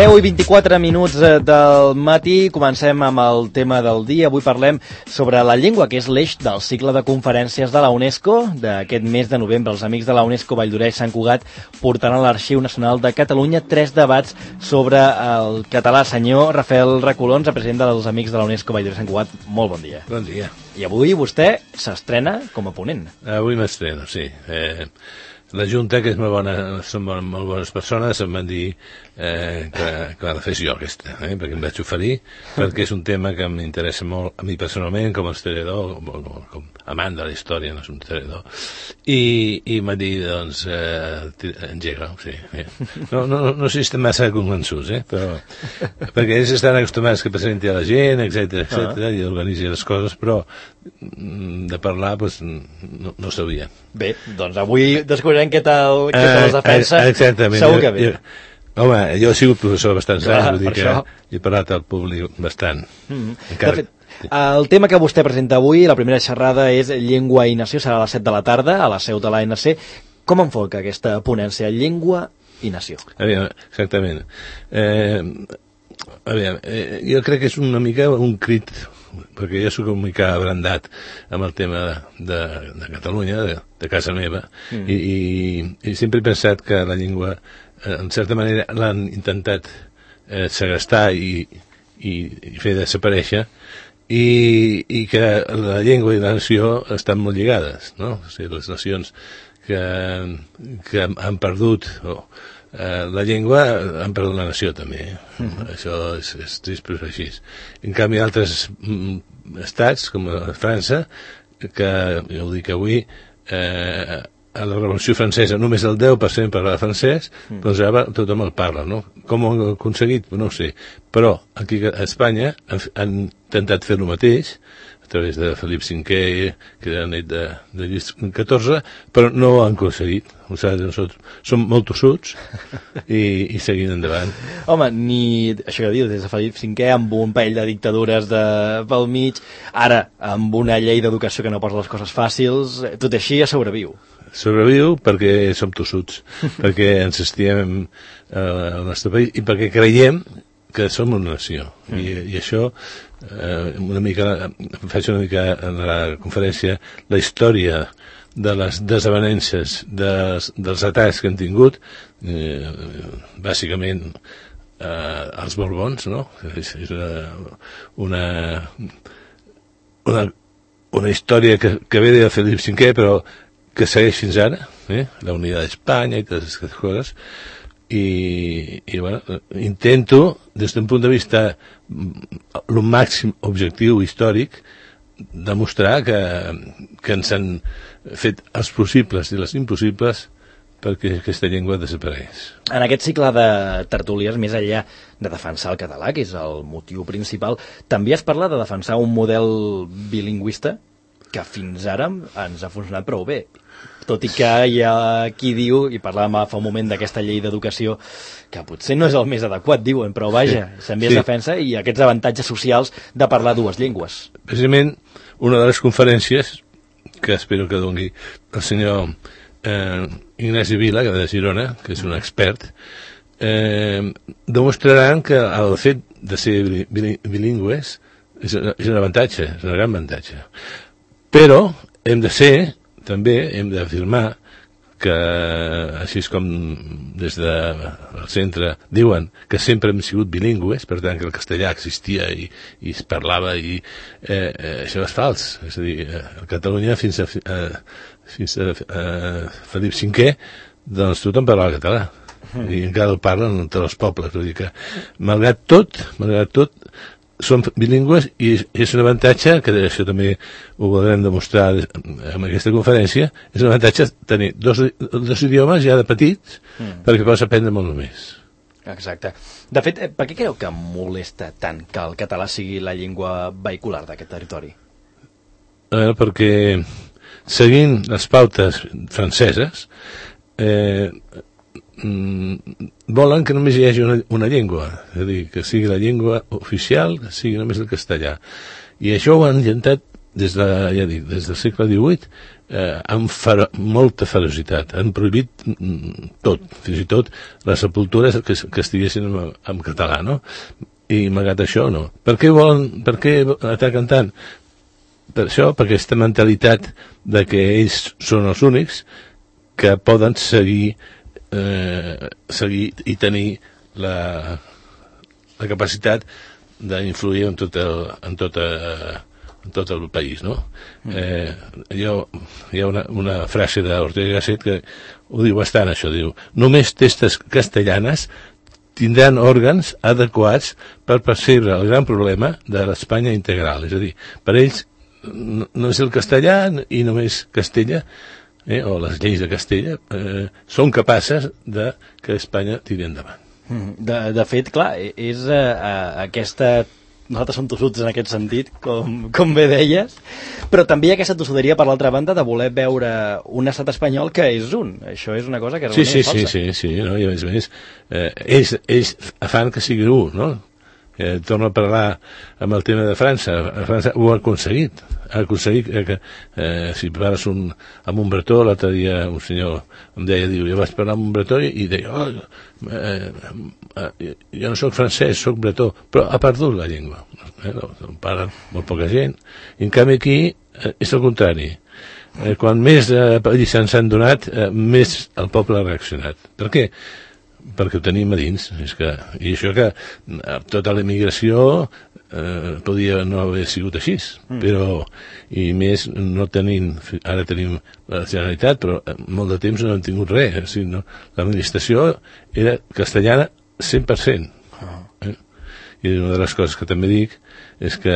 10:24 del matí, comencem amb el tema del dia. Avui parlem sobre la llengua, que és l'eix del cicle de conferències de la UNESCO. D'aquest mes de novembre, els amics de la UNESCO Valldoreix Sant Cugat portaran a l'Arxiu Nacional de Catalunya 3 debats sobre el català. Senyor Rafael Recolons, president dels amics de la UNESCO Valldoreix Sant Cugat, molt bon dia. Bon dia. I avui vostè s'estrena com a ponent. Avui m'estreno, sí. La Junta, que és són molt bones persones, em van dir que la fes jo aquesta, perquè em vaig oferir, perquè és un tema que m'interessa molt a mi personalment, com a historiador, com amant de la història, no és un historiador, i m'ha dit, doncs, engega, sí. No sé si estem massa convençuts, però perquè ells estan acostumats que presenti a la gent, etc i organitzi les coses, però de parlar, doncs, no sabia. Bé, doncs avui descobrirem què tal les defensa. Exactament. Segur que bé. Home, jo he sigut professor bastants anys, vull dir que he parlat al públic bastant. De fet, el tema que vostè presenta avui, la primera xerrada, és Llengua i Nació, serà a les 7 de la tarda, a la seu de l'ANC. Com enfoca aquesta ponència, Llengua i Nació? Exactament. Jo crec que és una mica un crit, perquè jo soc una mica abrandat amb el tema de Catalunya, de casa meva, i sempre he pensat que la llengua, en certa manera, l'han intentat segrestar i fer desaparèixer, i que la llengua i la nació estan molt lligades, no? O sigui, les nacions que han perdut la llengua han perdut la nació també. Això és trist, però és així. En canvi, altres estats, com França, que jo ho dic avui, a la Revolució Francesa només el 10% parlava francès, doncs ara tothom el parla, no? Com ho han aconseguit? No ho sé. Però aquí a Espanya han intentat fer el mateix, a través de Felip V, que era net de Lluís XIV, però no ho han aconseguit. O sigui, nosaltres som molt tossuts i seguim endavant. Home, ni això que dius, des de Felip V, amb un parell de dictadures pel mig, ara amb una llei d'educació que no posa les coses fàcils, tot així ja sobreviu. Sobreviu perquè som tossuts, perquè ens estimem al nostre país i perquè creiem que som una nació. I això, faig una mica en la conferència la història de les desavenències dels atacs que han tingut, bàsicament els Borbons, no? És una història que ve de Felip V, però que segueix fins ara, la unitat d'Espanya i totes aquestes coses, i bueno, intento, des d'un punt de vista el màxim objectiu històric, demostrar que ens han fet els possibles i les impossibles perquè aquesta llengua desapareix. En aquest cicle de tertúlies, més enllà de defensar el català, que és el motiu principal, també es parla de defensar un model bilingüista que fins ara ens ha funcionat prou bé. Tot i que hi ha qui diu, i parlàvem fa un moment d'aquesta llei d'educació, que potser no és el més adequat, diuen, però vaja, també es defensa, i aquests avantatges socials de parlar dues llengües. Precisament, una de les conferències, que espero que doni el senyor Ignasi Vila, que de Girona, que és un expert, demostraran que el fet de ser bilingües és un avantatge, és un gran avantatge. Però també hem d'afirmar que, així com des del centre diuen que sempre hem sigut bilingües, per tant que el castellà existia i es parlava, i això és fals. És a dir, a Catalunya fins a Felip V, doncs tothom parlava català, i encara el parlen entre els pobles. Vull dir que, malgrat tot, som bilingües, i és un avantatge, que això també ho voldrem demostrar en aquesta conferència, és un avantatge tenir dos idiomes ja de petits, perquè pots aprendre molt més. Exacte. De fet, per què creu que molesta tant que el català sigui la llengua vehicular d'aquest territori? Perquè, seguint les pautes franceses, volen que només hi hagi una llengua, és a dir, que sigui la llengua oficial, que sigui només el castellà. I això ho han intentat ja dic, des del segle XVIII, amb molta ferocitat. Han prohibit tot, fins i tot les sepultures que estiguessin en català, no? I malgrat això, no. Per què ataquen tant? Per això, per aquesta mentalitat de que ells són els únics que poden seguir i tenir la capacitat d'influir en tot el país, no? Hi ha una frase d'Ortega y Gasset que ho diu bastant, això, diu: només testes castellanes tindran òrgans adequats per percebre el gran problema de l'Espanya integral. És a dir, per ells no és el castellà i només Castella, o les lleis de Castella, són capaces de que Espanya tiri endavant. De fet, clar, és aquesta... Nosaltres som tossuts en aquest sentit, com bé deies, però també hi ha aquesta tossuderia, per l'altra banda, de voler veure un estat espanyol que és un. Això és una cosa que realment és falsa. Sí, no? I a més, ells fan que sigui un, no? Torno a parlar amb el tema de França. França ho ha aconseguit. Ha aconseguit que si parles amb un bretó, l'altre dia un senyor em deia, diu, jo vaig parlar amb un bretó i deia, jo no soc francès, soc bretó, però ha perdut la llengua. No parlen molt poca gent. I en canvi aquí és el contrari. Quan més lliçons s'han donat, més el poble ha reaccionat. Per què? Perquè ho tenim a dins. I això que tota la immigració podia no haver sigut així, però i més no tenint, ara tenim la Generalitat, però molt de temps no hem tingut res, l'administració era castellana 100%. I una de les coses que també dic és que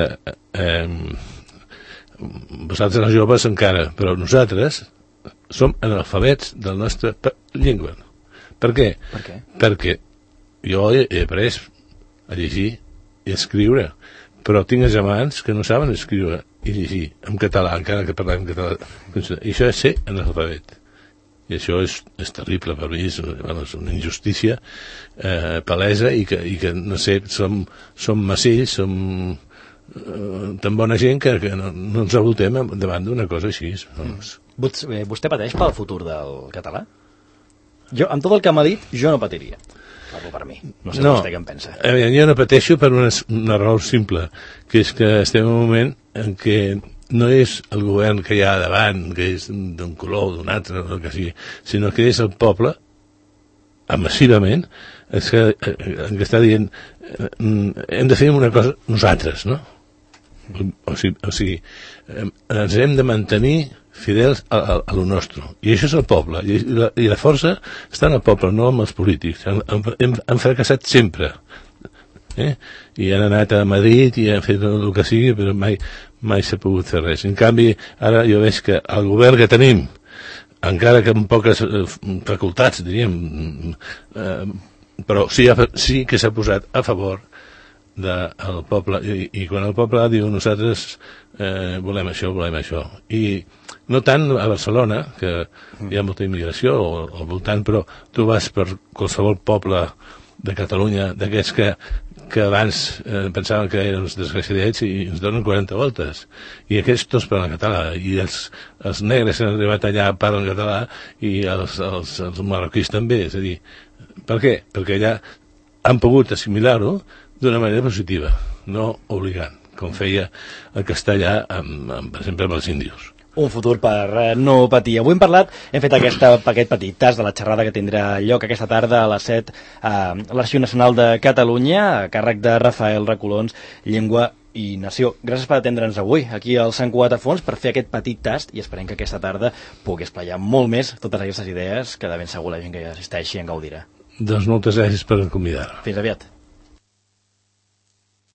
vosaltres els joves encara, però nosaltres som analfabets de la nostra llengua. Per què? Perquè jo he après a llegir i a escriure, però tinc germans que no saben escriure i llegir en català, encara que parlem català. I això és ser analfabet. I això és terrible per mi, és una injustícia palesa i que no sé, som macells, som tan bona gent que no ens revoltem davant d'una cosa així. Vostè pateix pel futur del català? Jo, amb tot el que m'ha dit, jo no patiria. Parlo per mi. No sé vostè què en pensa. Jo no pateixo per una raó simple, que és que estem en un moment en què no és el govern que hi ha davant, que és d'un color o d'un altre, o el que sigui, sinó que és el poble, massivament, que està dient hem de fer una cosa nosaltres, no? O sigui, ens hem de mantenir fidels a lo nostre. I això és el poble. I la força està en el poble, no amb els polítics. Han fracassat sempre. I han anat a Madrid i han fet el que sigui, però mai s'ha pogut fer res. En canvi, ara jo veig que el govern que tenim, encara que amb poques facultats, diríem, però sí que s'ha posat a favor del poble, i quan el poble diu nosaltres volem això, i no tant a Barcelona, que hi ha molta immigració al voltant, però tu vas per qualsevol poble de Catalunya, d'aquests que abans pensaven que eren uns desgraciadets i ens donen 40 voltes, i aquests tots parlen català, i els negres que han arribat allà parlen català, i els marroquís també. És a dir, per què? Perquè allà han pogut assimilar-ho d'una manera positiva, no obligant, com feia el castellà, per exemple, amb els índios. Un futur per no patir. Avui hem fet aquest petit tas de la xerrada que tindrà lloc aquesta tarda a les 7 a l'Arxiu Nacional de Catalunya, a càrrec de Rafael Recolons, Llengua i Nació. Gràcies per atendre'ns avui aquí al Sant Cugat a Fons per fer aquest petit tast, i esperem que aquesta tarda pugui esplayar molt més totes aquestes idees que de ben segur la gent que hi assisteixi en gaudirà. Doncs moltes gràcies per convidar-me. Fins aviat.